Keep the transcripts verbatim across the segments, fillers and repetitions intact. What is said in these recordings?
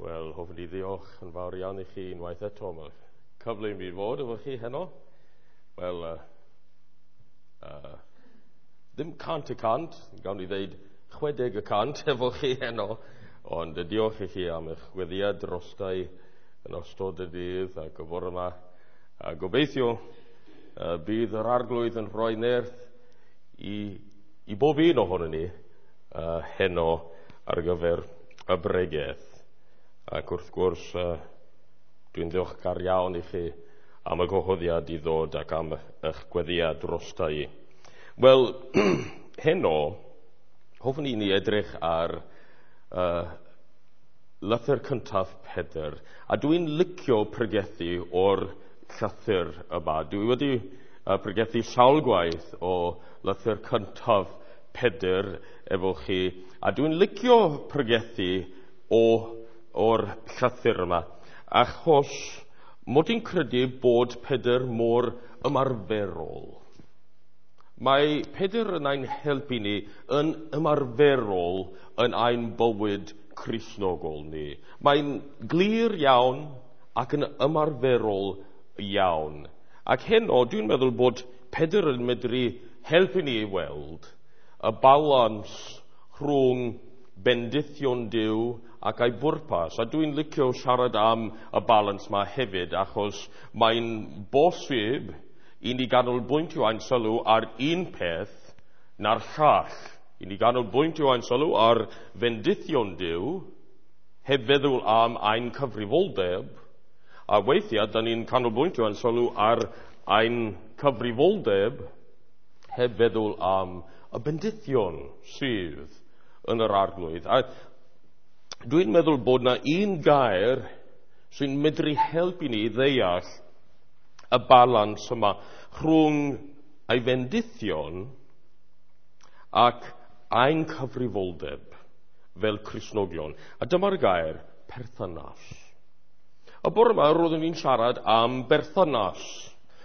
Wel, hoffwn i ddiolch yn fawr iawn i chi unwaith eto am y cyfle i mi fod efo chi heno. Wel, uh, uh, ddim cant y cant, gawn ni ddeud chwedeg y cant efo chi heno, ond diolch i chi am eich gweddiad drostai yn ystod y dydd ac y bore yma. A gobeithio uh, bydd yr arglwydd yn rhoi nerth i, i bob un ohono ni uh, heno ar gyfer y bregeth. Ac wrth gwrs, uh, dwi'n ddiolchgar iawn i chi am y gwahoddiad i ddod ac am eich gweddiad drosta i. Wel, heno, hoffwn i ni edrych ar uh, lythyr cyntaf Pedr. A dwi'n licio pregethu o'r llythyr yma. Dwi wedi uh, pregethu sawl gwaith o lythyr cyntaf Pedr efo chi. A dwi'n licio pregethu o o'r llythyr yma, achos mod i'n credu bod Pedr mor ymarferol. Mae Pedr yn ein helpu ni yn ymarferol yn ein bywyd Cristnogol ni. Mae'n glir iawn ac yn ymarferol iawn. Ac heno, dwi'n meddwl bod Pedr yn medru helpu ni i weld y balans rhwng bendithion Duw ac ei bwrpas. A dwi'n licio siarad am y balans ma hefyd, achos mae'n bosib i ni ganolbwyntio ein sylw ar un peth na'r llall. I ni ganolbwyntio ein sylw ar fendithion Duw, heb feddwl am ein cyfrifoldeb, a weithiau da ni'n canolbwyntio ein sylw ar ein cyfrifoldeb, heb feddwl am y bendithion sydd yn yr arglwydd. A dwi'n meddwl bod na un gair sy'n medru helpu ni ddeall y balans yma rhwng ei fendithion ac ein cyfrifoldeb fel Cristnogion. A dyma'r gair, perthynas. Y bore yma roeddwn i'n siarad am berthynas.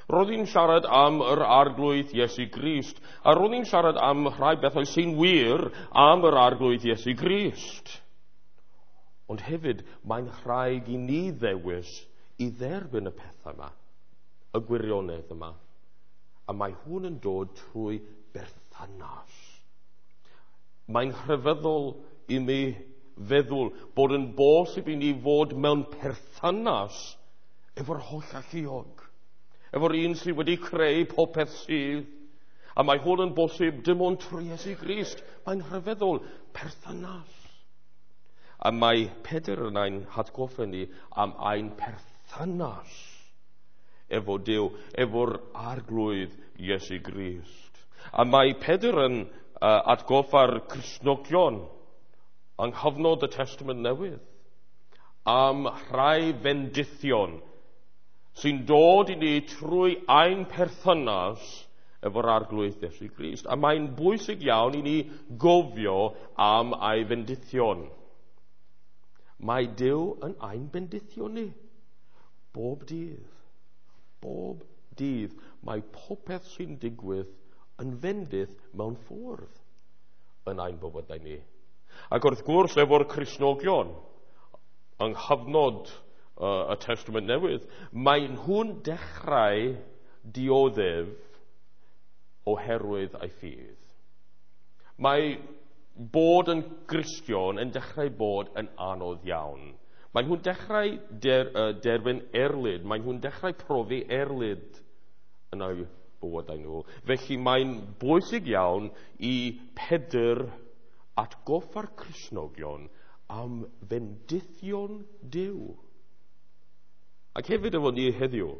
Roeddwn i'n siarad am yr arglwydd Iesu Grist, a roeddwn i'n siarad am rhai bethau sy'n wir am yr arglwydd Iesu Grist. Ond hefyd, mae'n rhaid i ni ddewis i dderbyn y pethau yma, y gwirionedd yma. A mae hwn yn dod trwy berthynas. Mae'n rhyfeddol i mi feddwl bod yn bosib i ni fod mewn perthynas efo'r holl alluog, efo'r un sydd wedi creu popeth sydd. A mae hwn yn bosib dim ond trwy Iesu Grist. Mae'n rhyfeddol, perthynas. A mae Pedr yn ein hatgoffa ni am ein perthynas efo Duw, efo'r arglwydd Iesu Grist. A mae Pedr yn uh, atgoffa'r Cristnogion yng nghyfnod y Testament Newydd am rhai fendithion sy'n dod i ni trwy ein perthynas efo'r arglwydd Iesu Grist. A mae'n bwysig iawn i ni gofio am ei fendithion. Mae Duw yn ein bendithio ni bob dydd. Bob dydd mae popeth sy'n digwydd yn fendith mewn ffordd yn ein bywydau ni. Ac wrth gwrs efo'r Cristnogion yng nghyfnod uh, y Testament Newydd, mae nhw'n dechrau dioddef oherwydd ei ffydd. Mae bod yn Gristion yn dechrau bod yn anodd iawn. Mae nhw'n dechrau der, uh, derbyn erlid. Mae nhw'n dechrau profi erlid yn eu bywydau nhw. Felly mae'n bwysig iawn i Pedr atgoffa'r Cristnogion am fendithion Duw. Ac hefyd efo ni heddiw,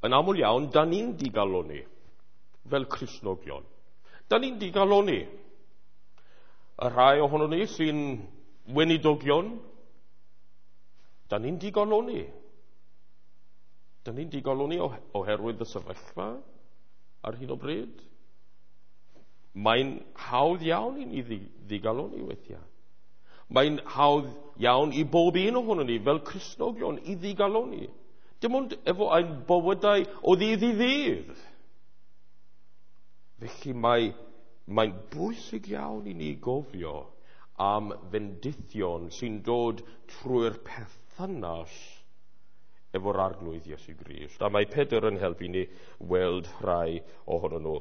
yn aml iawn, da ni'n digalonni fel Cristnogion. Da ni'n digalonni. Y rhai ohono ni sy'n weinidogion, da ni'n digalonni. Da ni'n digalonni oherwydd y sefyllfa ar hyn o bryd. Mae'n hawdd iawn i ni ddigalonni weithiau. Mae'n hawdd iawn i bob un ohono ni fel Cristnogion i ddigalonni. Dim ond efo ein bywydau o ddydd i ddydd. Felly mae, mae'n bwysig iawn i ni gofio am fendithion sy'n dod trwy'r perthynas efo'r Arglwydd Iesu Grist. A mae Pedr yn helpu ni weld rhai ohonyn nhw.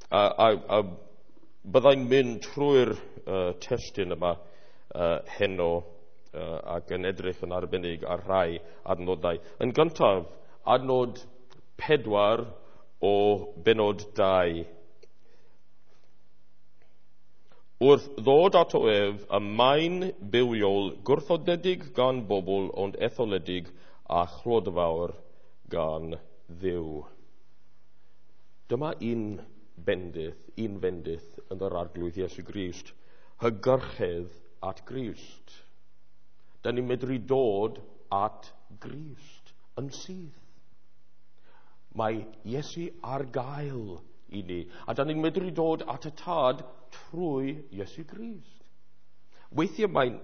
A, a, a byddai'n mynd trwy'r uh, testun yma uh, heno uh, ac yn edrych yn arbennig ar rhai adnodau. Yn gyntaf, adnod pedwar o benod dau. Wrth ddod ato ef, y maen bywiol gwrthodedig gan bobl ond etholedig a chlodfawr gan Dduw. Dyma un bendith, un fendith yn yr Arglwydd Iesu Grist, hygyrchedd at Grist. Da ni'n medru dod at Grist yn syth. Mae Iesu ar gael i ni, a da ni'n medru dod at y Tad trwy Iesu Grist. Weithiau mae'n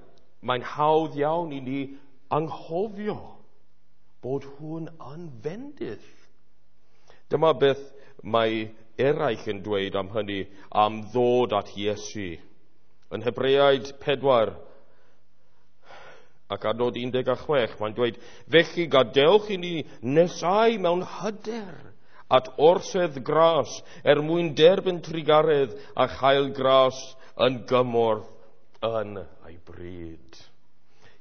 mae'n hawdd iawn i ni anghofio bod hwn yn fendith. Dyma beth mae eraill yn dweud am hynny, am ddod at Iesu. Yn Hebreaid pedwar ac adnod un deg a chwech, mae'n dweud, felly gadewch i ni nesau mewn hyder at orsedd gras er mwyn derbyn trugaredd a chael gras yn gymorth yn ei bryd.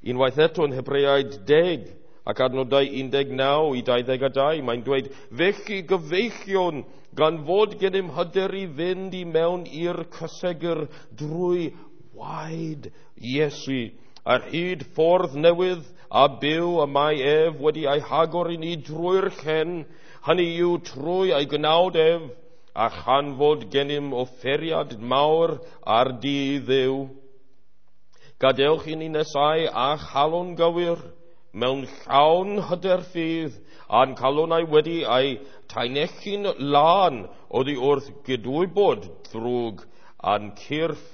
Unwaith eto yn Hebreaid deg ac adnodau un deg naw i dau ddeg a dau, mae'n dweud, felly gyfeillion, gan fod gennym hyder i fynd i mewn i'r cysegr drwy waed Iesu, ar hyd ffordd newydd a byw y mae ef wedi ei hagor i ni drwy'r llen, hynny yw trwy ei gnawd ef, a chan fod gennym offeriad mawr ar dydd Dduw. Gadewch i ni nesau a chalon gywir, mewn llawn hyder ffydd, a'n calonau wedi ei taenellu'n lân oddi wrth gydwybod ddrwg, a'n cyrff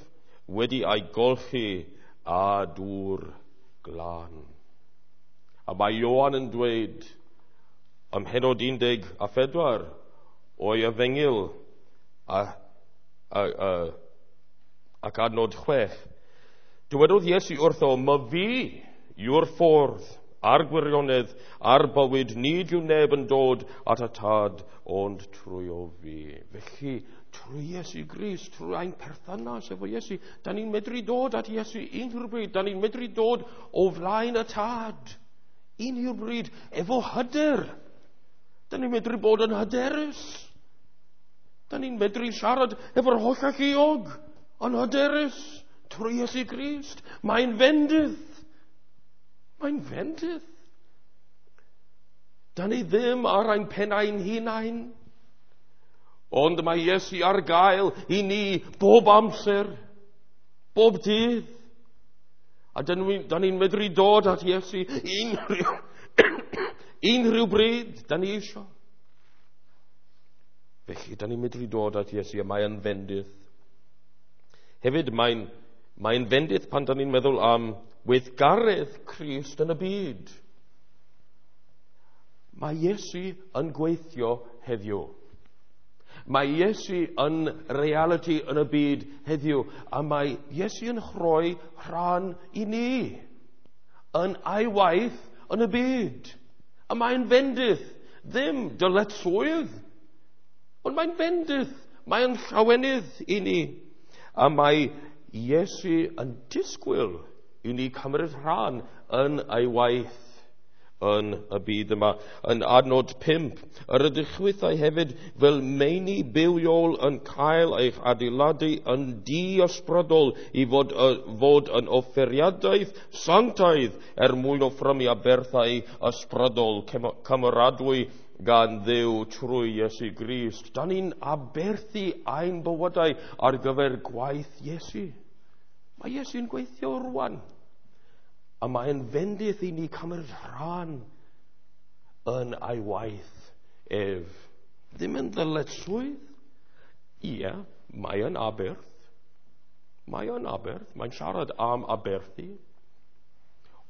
wedi ei golchi â dŵr glân. A mae Ioan yn dweud ym mhennod un deg a phedwar o'i efengyl a, a, a, ac adnod chwech. Dywedodd Iesu wrtho, ma fi yw'r ffordd a'r gwirionedd a'r bywyd, nid yw neb yn dod at y Tad ond trwy o fi. Felly, trwy Iesu Grist, trwy ein perthynas efo Iesu, da ni'n medru dod at Iesu unrhyw bryd, da ni'n medru dod o flaen y Tad unrhyw bryd efo hyder. Da ni'n medru bod yn hyderus. Da ni'n medru siarad efo'r holl alluog yn hyderus trwy Iesu Grist. Mae'n fendith. Mae'n fendith. Da ni ddim ar ein pennau'n hunain, ond mae Iesu ar gael i ni bob amser, bob dydd. A da ni'n ni medru dod at Iesu unrhyw, unrhyw bryd da ni eisiau. Felly, da ni'n medru dod at Iesu a mae'n fendith. Hefyd, mae'n mae'n fendith pan da ni'n meddwl am weithgaredd Crist yn y byd. Mae Iesu yn gweithio heddiw. Mae Iesu yn reality yn y byd heddiw, a mae Iesu yn rhoi rhan i ni yn ei waith yn y byd. A mae'n fendith, ddim dyletswydd, ond mae'n fendith, mae'n llawenydd i ni. A mae Iesu yn disgwyl i ni cymryd rhan yn ei waith yn y byd yma. Yn adnod pump, yr ydych chwithau hefyd fel meini bywiol yn cael eich adeiladu yn di-ysbrydol i fod, uh, fod yn offeriadaeth sanctaidd er mwyn offrymu aberthau ysbrydol cymeradwy gan Dduw trwy Iesu Grist. Da ni'n aberthu ein bywydau ar gyfer gwaith Iesu. Mae Iesu'n gweithio rwan. A mae'n fendith i ni cymryd rhan yn ei waith ef. Ddim yn ddyletswydd. Ie, mae yn aberth. Mae yn aberth. Mae'n siarad am aberthu.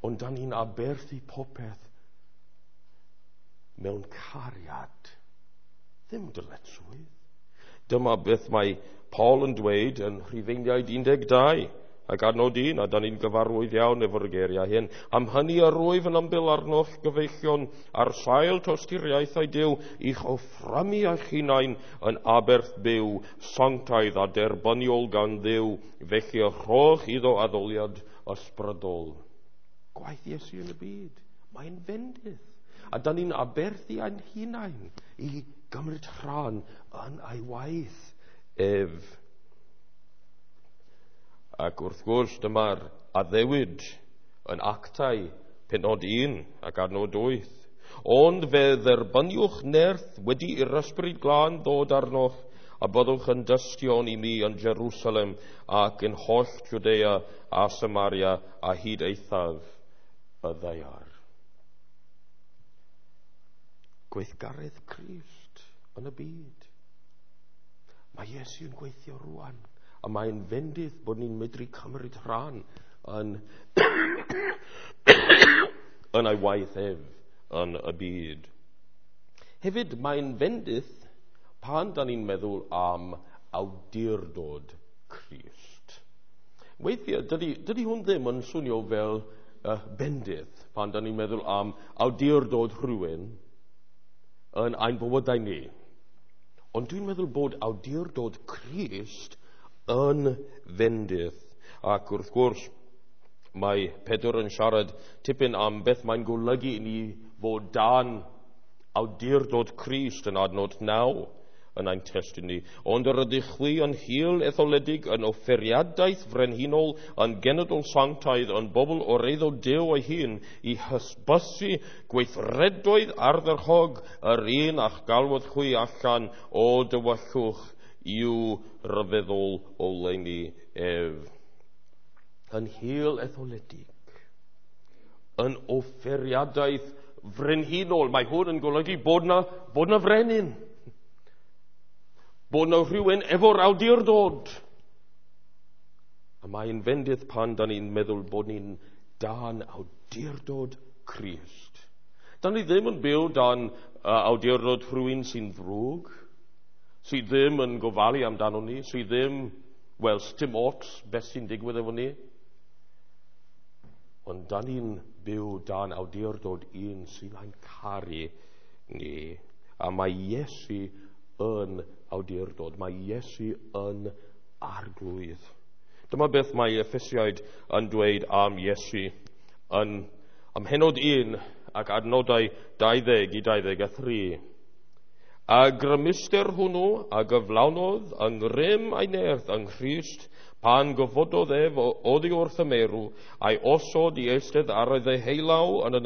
Ond da ni'n aberthu popeth mewn cariad. Ddim dyletswydd. Dyma beth mae Paul yn dweud yn Rhufeiniaid un deg dau ac adnod un, a da ni'n gyfarwydd iawn efo'r geiriau hyn. Am hynny yr wyf yn ymbil arnoch gyfeillion ar sail tosturiaethau Duw i'ch offrymu eich hunain yn aberth byw, sanctaidd a derbyniol gan Dduw, felly y rhowch iddo addoliad ysbrydol. Gwaith Iesu yn y byd, mae'n fendith. A da ni'n aberthu ein hunain i gymryd rhan yn ei waith ef. Ac wrth gwrs, dyma'r addewid yn Actau pennod un ac adnod wyth. Ond fe dderbyniwch nerth wedi i'r Ysbryd Glân ddod arnoch, a byddwch yn dystion i mi yn Jerusalem ac yn holl Judea a Samaria a hyd eithaf y ddaear. Gweithgaredd Crist yn y byd. Mae Iesu yn gweithio rwan. A mae'n fendith bod ni'n medru cymryd rhan yn, yn ei waith ef yn y byd. Hefyd, mae'n fendith pan da ni'n meddwl am awdurdod Crist. Weithiau, dydy, dydy hwn ddim yn swnio fel uh, bendith pan da ni'n meddwl am awdurdod rhywun yn ein bywydau ni. Ond dwi'n meddwl bod awdurdod Crist yn fendith. Ac wrth gwrs, mae Pedr yn siarad tipyn am beth mae'n golygu i ni fod dan awdurdod Crist yn adnod naw yn ein testun ni. Ond yr ydych chwi yn hil etholedig, yn offeriadaeth frenhinol, yn genedl sanctaidd, yn bobl o'r eiddo Duw ei hun, i hysbysu gweithredoedd ardderchog yr un a'ch galwodd chwi allan o dywyllwch i'w ryfeddol oleuni ef. Yn hil etholedig, yn offeriadaeth frenhinol. Mae hwn yn golygu bod na, bod na frenin, bod na rhywun efo'r awdurdod. A mae'n fendith pan da ni'n meddwl bod ni'n dan awdurdod Crist. Da ni ddim yn byw dan uh, awdurdod rhywun sy'n ddrwg, sydd ddim yn gofalu amdano ni, sydd ddim, wel, dim ots beth sy'n digwydd efo ni. Ond da ni'n byw dan awdurdod un sy'n ein caru ni. A mae Iesu yn awdurdod, mae Iesu yn arglwydd. Dyma beth mae Effesiaid yn dweud am Iesu yn am hennod un ac adnodau dau ddeg i dau ddeg a thri. A grymuster hwnnw a gyflawnodd yng ngrym ei nerth yng Nghrist pan gofododd ef oddi wrth y meirw, a'i osod i eistedd ar ei ddeheulaw yn y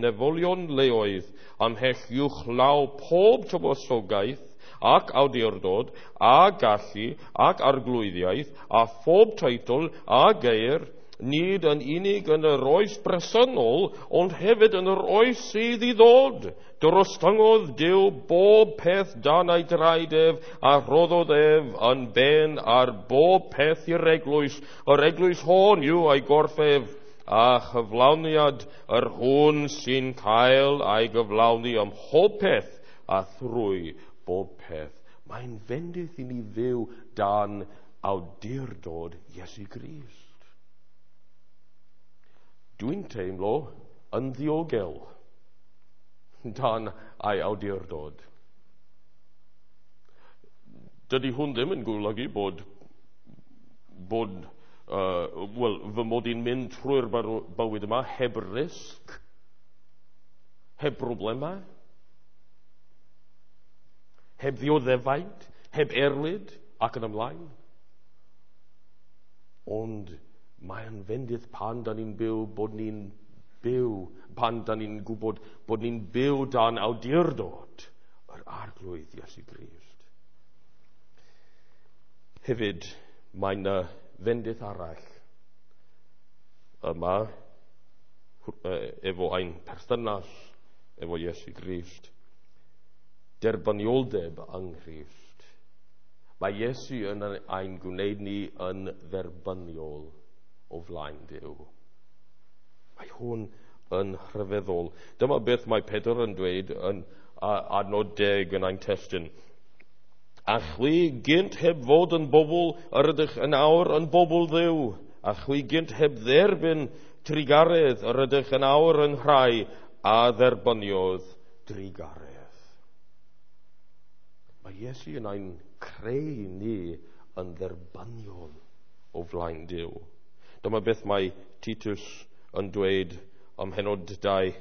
nefolion leoedd, ymhell uwchlaw pob tywysogaeth ac awdurdod a gallu ac arglwyddiaeth a phob teitl a geir, nid yn unig yn yr oes bresennol, ond hefyd yn yr oes sydd i ddod. Drostyngodd Duw bob peth dan ei draed ef, a rhoddodd ef yn ben ar bob peth i'r eglwys. Yr eglwys hon yw ei gorff ef, a chyflawniad yr hwn sy'n cael ei gyflawni ym mhob peth a thrwy bob peth. Mae'n fendith i ni fyw dan awdurdod Iesu Grist. Dwi'n teimlo yn ddiogel dan ei awdurdod. Dydy hwn ddim yn golygu bod, bod uh, well, fy mod i'n mynd trwy'r bywyd yma heb risg, heb broblemau, heb ddioddefaint, heb erlid ac yn ymlaen. Ond mae'n fendith pan da ni'n byw bod ni'n byw, pan da ni'n gwybod bod ni'n byw dan awdurdod yr Arglwydd Iesu Grist. Hefyd, mae'n fendith arall yma efo ein perthynas efo Iesu Grist. Derbynioldeb yng Nghrist. Mae Iesu yn ein gwneud ni yn dderbyniol o flaen Duw. Mae hwn yn rhyfeddol. Dyma beth mae Pedr yn dweud yn adnod deg yn ein testun. A chwi gynt heb fod yn bobl, yr ydych yn awr yn bobl Dduw, a chwi gynt heb dderbyn trugaredd, yr ydych yn awr yn rhai a dderbyniodd drugaredd. Mae Iesu yn ein creu ni yn dderbyniol o flaen Duw. Dyma beth mae Titus yn dweud ym mhennod dau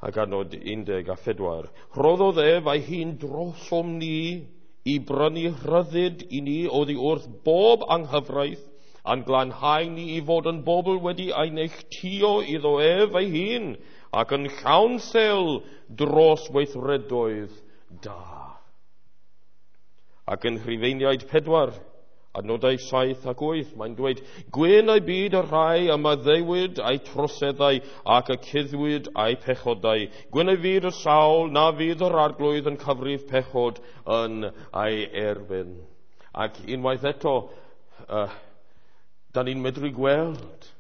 ac adnod un a phedwar. Rhoddodd ef ei hun drosom ni i brynu rhyddid i ni oddi wrth bob anghyfraith, a'n glanhau ni i fod yn bobl wedi ei neilltuo iddo ef ei hun, ac yn llawn sel dros weithredoedd da. Ac yn Rhufeiniaid pedwar, adnodau saith ac wyth, mae'n dweud, Gwyn ei byd y rhai y maddeuwyd eu troseddau ac y cuddwyd eu pechodau. Gwyn ei fyd y sawl na fydd yr arglwydd yn cyfrif pechod yn ei erbyn. Ac unwaith eto, uh, da ni'n medru gweld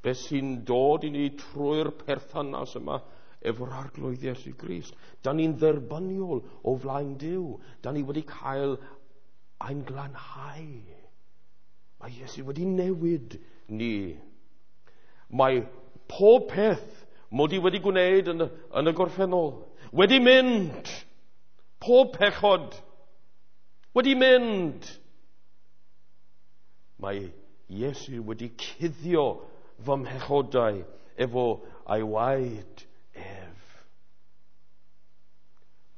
beth sy'n dod i ni trwy'r perthynas yma efo'r arglwydd Iesu Grist. Da ni'n dderbyniol o flaen Duw. Da ni wedi cael ein glanhau. Mae Iesu wedi newid ni. Mae pob peth mod i wedi gwneud yn y, yn y gorffennol wedi mynd. Pob pechod wedi mynd. Mae Iesu wedi cuddio fy mhechodau efo ei waed ef.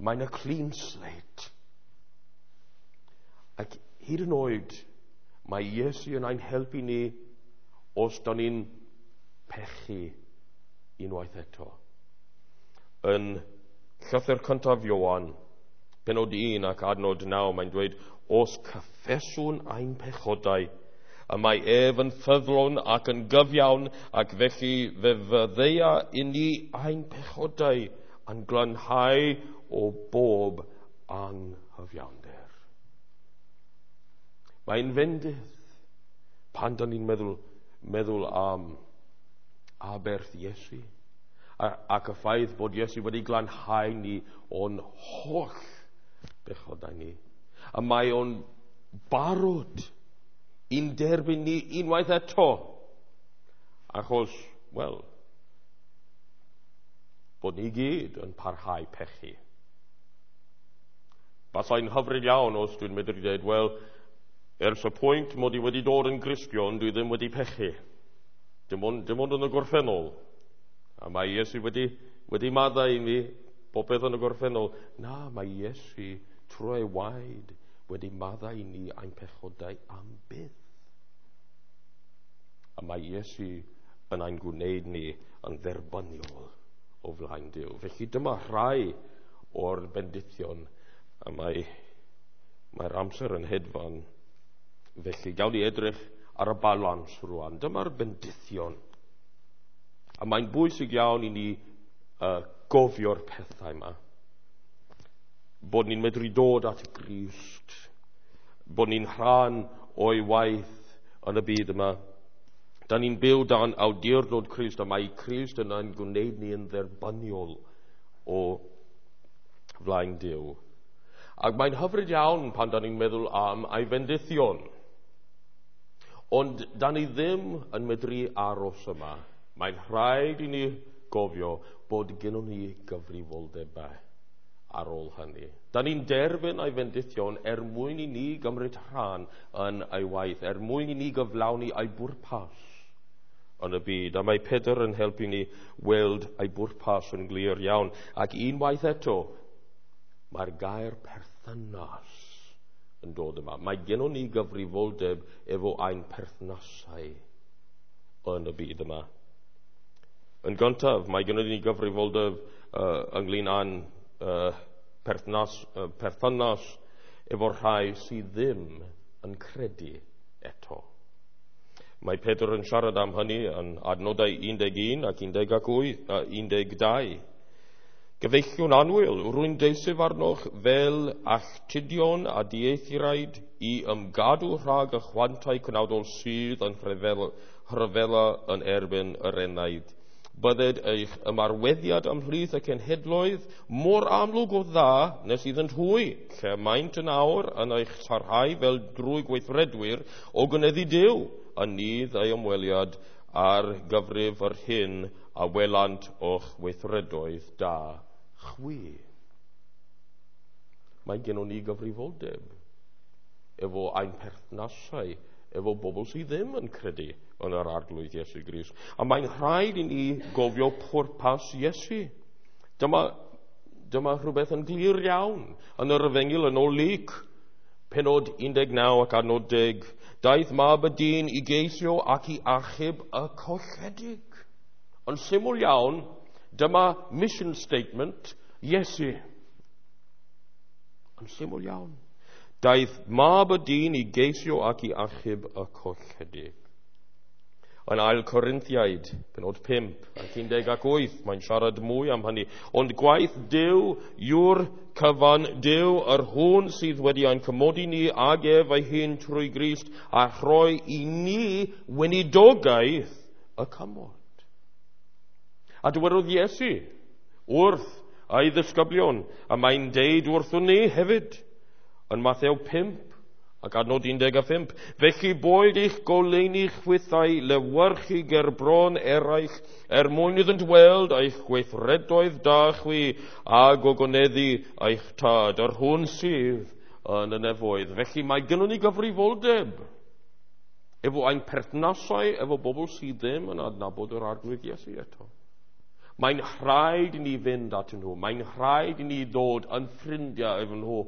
Mae'n y clean slate. Ac hyd yn oed, mae Iesu yn ein helpu ni os da ni'n pechu unwaith eto. Yn llythyr cyntaf Ioan, pennod un ac adnod naw, mae'n dweud, os cyffeswn ein pechodau, y mae ef yn ffyddlon ac yn gyfiawn, ac felly fe fyddeia i ni ein pechodau a'n glanhau o bob anghyfiawnder. Mae'n fendith pan da ni'n meddwl, meddwl am aberth Iesu a, ac y ffaith bod Iesu wedi glanhau ni o'n holl bechodau ni. A mae o'n barod i'n derbyn ni unwaith eto. Achos, wel, bod ni gyd yn parhau pechu. Basai'n hyfryd iawn os dwi'n medru dweud, wel, ers y pwynt mod i wedi dod yn Gristion, dwi ddim wedi pechu. Dim ond, dim ond yn y gorffennol. A mae Iesu wedi, wedi maddau i mi popeth yn y gorffennol. Na, mae Iesu trwy ei waed wedi maddau i ni ein pechodau am byth. A mae Iesu yn ein gwneud ni yn dderbyniol o flaen Duw. Felly dyma rhai o'r bendithion, a mae, mae'r amser yn hedfan. Felly gawn ni edrych ar y balans rwan. Dyma'r bendithion. A mae'n bwysig iawn i ni uh, gofio'r pethau yma. Bod ni'n medru dod at Grist. Bod ni'n rhan o'i waith yn y byd yma. Da ni'n byw dan awdurdod Crist, a mae Crist yn ein gwneud ni yn dderbyniol o flaen Duw. Ac mae'n hyfryd iawn pan da ni'n meddwl am ei fendithion. Ond da ni ddim yn medru aros yma. Mae'n rhaid i ni gofio bod gennon ni gyfrifoldebau ar ôl hynny. Da ni'n derbyn ei fendithion er mwyn i ni gymryd rhan yn ei waith, er mwyn i ni gyflawni ei bwrpas yn y byd. A mae Pedr yn helpu ni weld ei bwrpas yn glir iawn. Ac unwaith eto, mae'r gair perthynas yn dod yma. Mae gennon ni gyfrifoldeb efo ein perthnasau yn y byd yma. Yn gyntaf, mae gennon ni gyfrifoldeb uh, ynglyn â'n uh, perthynas, uh, perthynas efo'r rhai sydd ddim yn credu eto. Mae Pedr yn siarad am hynny yn adnodau un deg un ac un deg un deg dau. Gyfeillion annwyl, rwy'n deisif arnoch fel alltudion a dieithriaid i ymgadw rhag y chwantau cnawdol sydd yn rhyfela yn erbyn yr enaid. Bydded eich ymarweddiad ymhlith y cenhedloedd mor amlwg o dda nes iddynt hwy, lle maent yn awr yn eich sarhau fel drwy gweithredwyr o gynyddu Duw, yn nydd ei ymweliad ar gyfrif yr hyn a welant o'ch weithredoedd da chwi. Mae gennon ni gyfrifoldeb efo ein perthnasau, efo bobl sydd ddim yn credu yn yr Arglwydd Iesu Grist. A mae'n rhaid i ni gofio pwrpas Iesu. Dyma, dyma rhywbeth yn glir iawn yn yr Efengyl yn ôl Luc, penod un deg naw ac adnod deg. Daeth mab y dyn i geisio ac i achub y colledig. Yn syml iawn, dyma mission statement Iesu. Yn syml iawn. Daeth mab y dyn i geisio ac i achub y colledig. Yn ail Corinthiaid, penod pump ac un deg ac wyth, mae'n siarad mwy am hynny. Ond gwaith Duw yw'r cyfan, Duw yr hwn sydd wedi ein cymodi ni ag ef ei hun trwy Grist a rhoi i ni weinidogaeth y cymod. A dywedodd Iesu wrth ei ddisgyblion, a mae'n deud wrthon ni hefyd, yn Mathew pump ac adnod un deg a phump. Felly boed eich goleuni chwithau lewyrchu ger bron eraill er mwyn iddynt weld eich gweithredoedd da chwi a gogoneddu eich tad, yr hwn sydd yn y nefoedd. Felly mae gynnon ni gyfrifoldeb efo ein perthnasau, efo bobl sydd ddim yn adnabod yr Arglwydd Iesu eto. Mae'n rhaid i ni fynd atyn nhw. Mae'n rhaid i ni ddod yn ffrindiau efo nhw.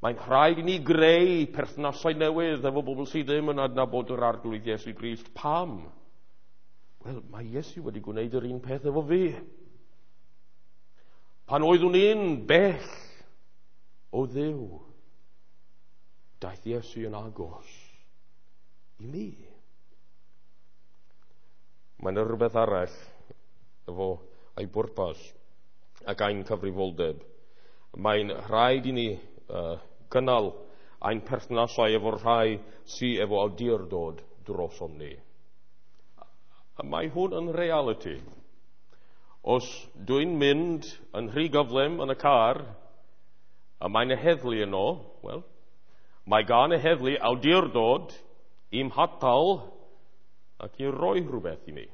Mae'n rhaid i ni greu perthnasau newydd efo bobl sydd ddim yn adnabod yr Arglwydd Iesu Grist. Pam? Wel, mae Iesu wedi gwneud yr un peth efo fi. Pan oeddwn i'n bell o Dduw, daeth Iesu yn agos i mi. Mae'n rhywbeth arall efo ei bwrpas ac ein cyfrifoldeb. Mae'n rhaid i ni Uh, gynnal ein perthnasau efo'r rhai sydd efo awdurdod drosom ni. A mae hwn yn reality. Os dwi'n mynd yn rhy gyflym yn y car, a mae'n y heddlu yno, wel, mae gan y heddlu awdurdod i'm hatal ac i roi rhywbeth i mi.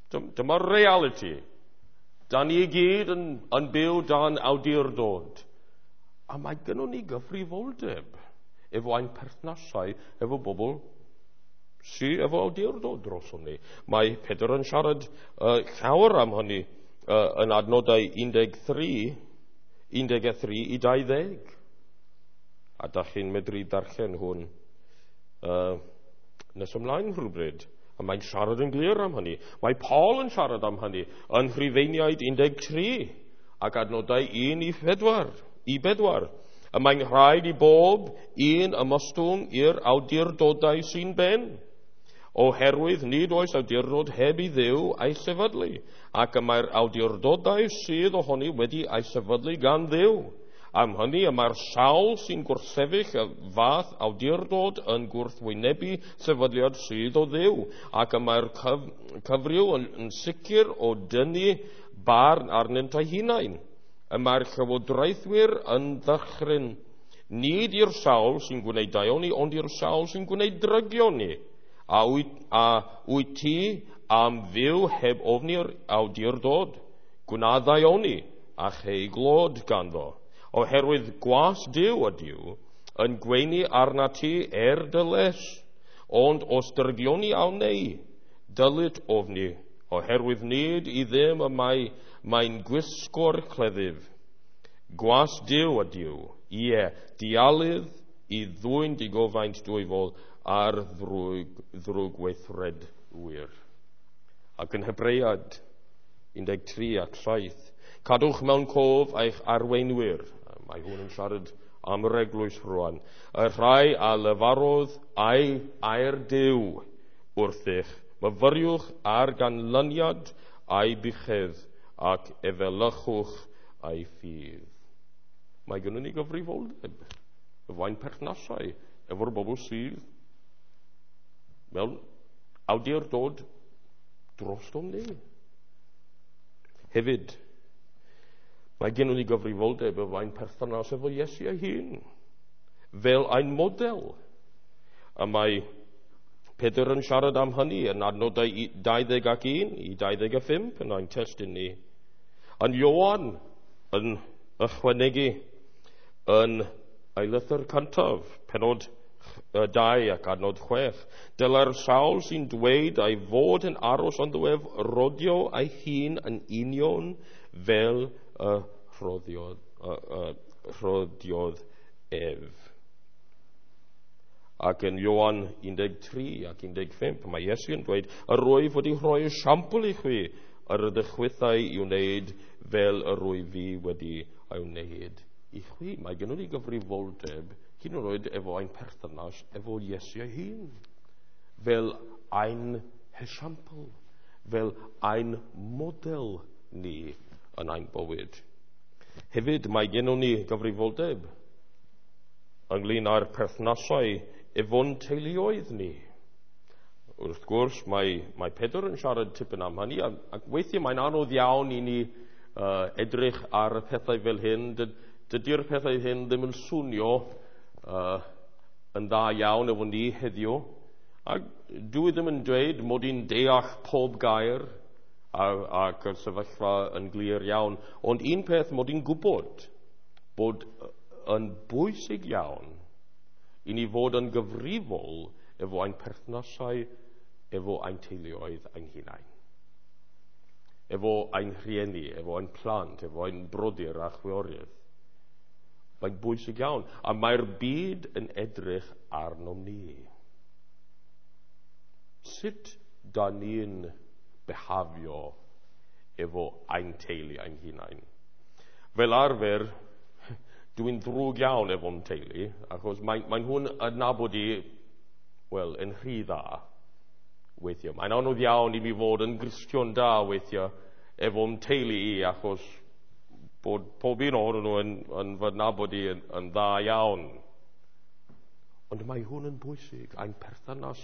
Dyma'r reality. Da ni i gyd yn, yn byw dan awdurdod. A mae gynnon ni gyfrifoldeb efo ein perthnasau, efo bobl sydd efo awdurdod drosom ni. Mae Pedr yn siarad uh, llawer am hynny uh, yn adnodau un deg tri, un deg tri i dau ddeg. A da chi'n medru darllen hwn uh, nes ymlaen rhywbryd. A mae'n siarad yn glir am hynny. Mae Paul yn siarad am hynny yn Rhufeiniaid un deg tri ac adnodau un i phedwar. I bedwar. Y mae'n rhaid i bob un ymostwng i'r awdurdodau sy'n ben, oherwydd nid oes awdurdod heb i Dduw ei sefydlu, ac y mae'r awdurdodau sydd ohoni wedi ei sefydlu gan Dduw. Am hynny y mae'r sawl sy'n gwrthsefyll y fath awdurdod yn gwrthwynebu sefydliad sydd o Dduw, ac y mae'r cyf cyfryw yn, yn sicr o dynnu barn arnynt eu hunain. Y mae'r llywodraethwyr yn ddychryn, nid i'r sawl sy'n gwneud daioni, ond i'r sawl sy'n gwneud drygioni. A wyt, a wyt ti am fyw heb ofni'r awdurdod, gwna ddaioni a chei glod ganddo. Oherwydd gwas Duw ydyw yn gweini arna ti er dy les, ond os drygioni a wnei, dylit ofni, oherwydd nid i ddim y mae mae'n gwisgo'r cleddyf. Gwas Duw ydyw, ie, dialydd i ddwyn digofaint dwyfol ar ddrwg, ddrwg weithredwyr. Ac yn Hebread un deg tri ac saith, cadwch mewn cof eich arweinwyr. Mae hwn yn siarad am yr eglwys rwan. Y rhai a lefarodd ei air Duw wrthych, myfyriwch ar ganlyniad ei buchedd ac efelychwch ei ffydd. Mae gynnon ni gyfrifoldeb efo ein perthnasau, efo'r bobl sydd mewn awdurdod drostom ni. Hefyd, mae gynnon ni gyfrifoldeb efo ein perthynas efo Iesu ei hun, fel ein model. A mae Pedr yn siarad am hynny yn adnodau dau ddeg ac un i dau ddeg a phump yn ein testun ni. Yn Ioan yn ychwanegu yn ei lythyr cyntaf, penod dau ac adnod chwech. Dylai'r sawl sy'n dweud ei fod yn aros ynddo ef rodio ei hun yn union fel y rhodiodd, y, y, rhodiodd ef. Ac yn Ioan un deg tri ac un deg pump, mae Iesu yn dweud, yr wyf wedi rhoi esiampl i chwi yr ydych chwithau i wneud fel yr wyf fi wedi ei wneud i chwi. Mae gennym ni gyfrifoldeb hyd yn oed efo ein perthynas efo Iesu ei hun, fel ein esiampl, fel ein model ni yn ein bywyd. Hefyd mae gennym ni gyfrifoldeb ynglyn â'r perthnasau efo'n teuluoedd ni. Wrth gwrs, mae, mae Pedr yn siarad tipyn am hynny, ac, ac weithiau mae'n anodd iawn i ni uh, edrych ar y pethau fel hyn. Dydy'r pethau hyn ddim yn swnio uh, yn dda iawn efo ni heddiw. Ac dwi ddim yn dweud mod i'n deall pob gair ac y sefyllfa yn glir iawn. Ond un peth mod i'n gwybod bod yn bwysig iawn i ni fod yn gyfrifol efo ein perthnasau, efo ein teuluoedd ein hunain. Efo ein rhieni, efo ein plant, efo ein brodyr a chwiorydd. Mae'n bwysig iawn. A mae'r byd yn edrych arnom ni. Sut da ni'n behafio efo ein teulu ein hunain? Fel arfer, dwi'n ddrwg iawn efo'n teulu, achos mae, mae nhw'n adnabod i, wel, yn rhy dda weithiau. Mae'n anodd iawn i mi fod yn Gristion da weithiau efo'n teulu i, achos bod pob un ohonyn nhw yn, yn fy nabod i yn, yn dda iawn. Ond mae hwn yn bwysig, ein perthynas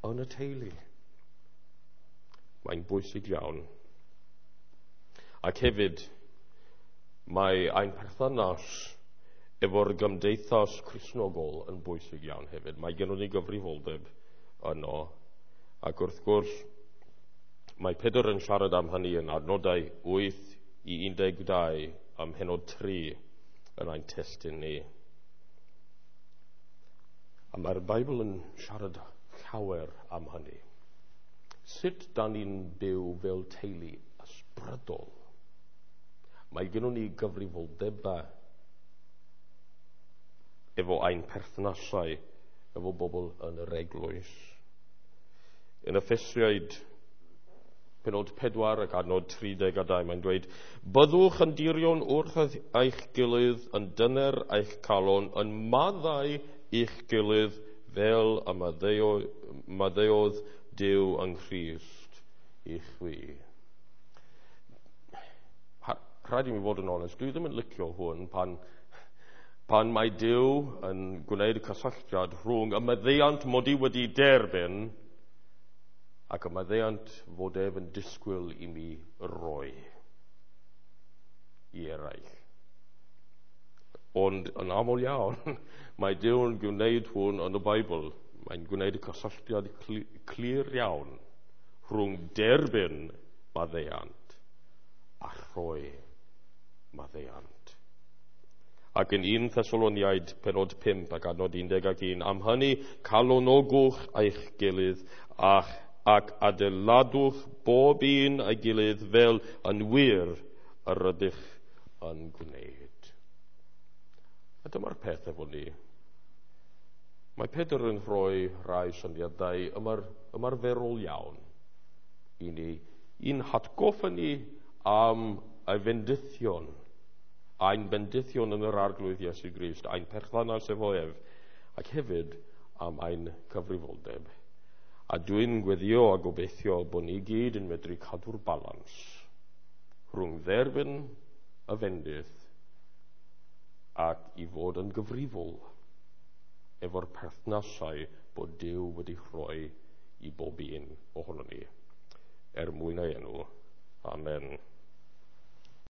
yn y teulu. Mae'n bwysig iawn. Ac hefyd, mae ein perthynas efo'r gymdeithas Cristnogol yn bwysig iawn hefyd. Mae gennym ni gyfrifoldeb yno. Ac wrth gwrs, mae Pedr yn siarad am hynny yn adnodau wyth i un deg dau am pennod tri yn ein testun ni. A mae'r Beibl yn siarad llawer am hynny. Sut da ni'n byw fel teulu ysbrydol? Mae gennym ni gyfrifoldebau efo ein perthnasau, efo bobl yn yr eglwys. Yn Effesiaid penod pedwar ac adnod tri deg a dau, mae'n dweud, byddwch yn dirion wrth eich gilydd, yn dyner eich calon, yn maddau eich gilydd fel y maddeuodd Duw yng Nghrist i chwi. Rhaid i mi fod yn onest, dwi ddim yn licio hwn pan, pan mae Duw yn gwneud cysylltiad rhwng y maddeuant mod i wedi derbyn ac y maddeuant fod ef yn disgwyl i mi roi i eraill. Ond yn aml iawn, mae Duw yn gwneud hwn yn y Beibl. Mae'n gwneud y cysylltiad clir iawn rhwng derbyn maddeuant a rhoi maddeuant. Ac yn un Thessaloniaid penod pump ac adnod un deg ac un, am hynny calonogwch eich gilydd a'ch ac adeiladwch bob un ei gilydd fel yn wir yr ydych yn gwneud. A dyma'r peth efo ni. Mae Pedr yn rhoi rhai syniadau ymar, ymarferol iawn i ni, i'n hatgoffa ni am y fendithion, ein bendithion yn yr Arglwydd Iesu Grist, ein perthynas efo ef, ac hefyd am ein cyfrifoldeb. A dwi'n gweddio a gobeithio bod ni gyd yn medru cadw'r balans rhwng dderbyn y fendith ac i fod yn gyfrifol efo'r perthnasau bod Duw wedi rhoi i bob un ohonon ni. Er mwyn ei enw. Amen.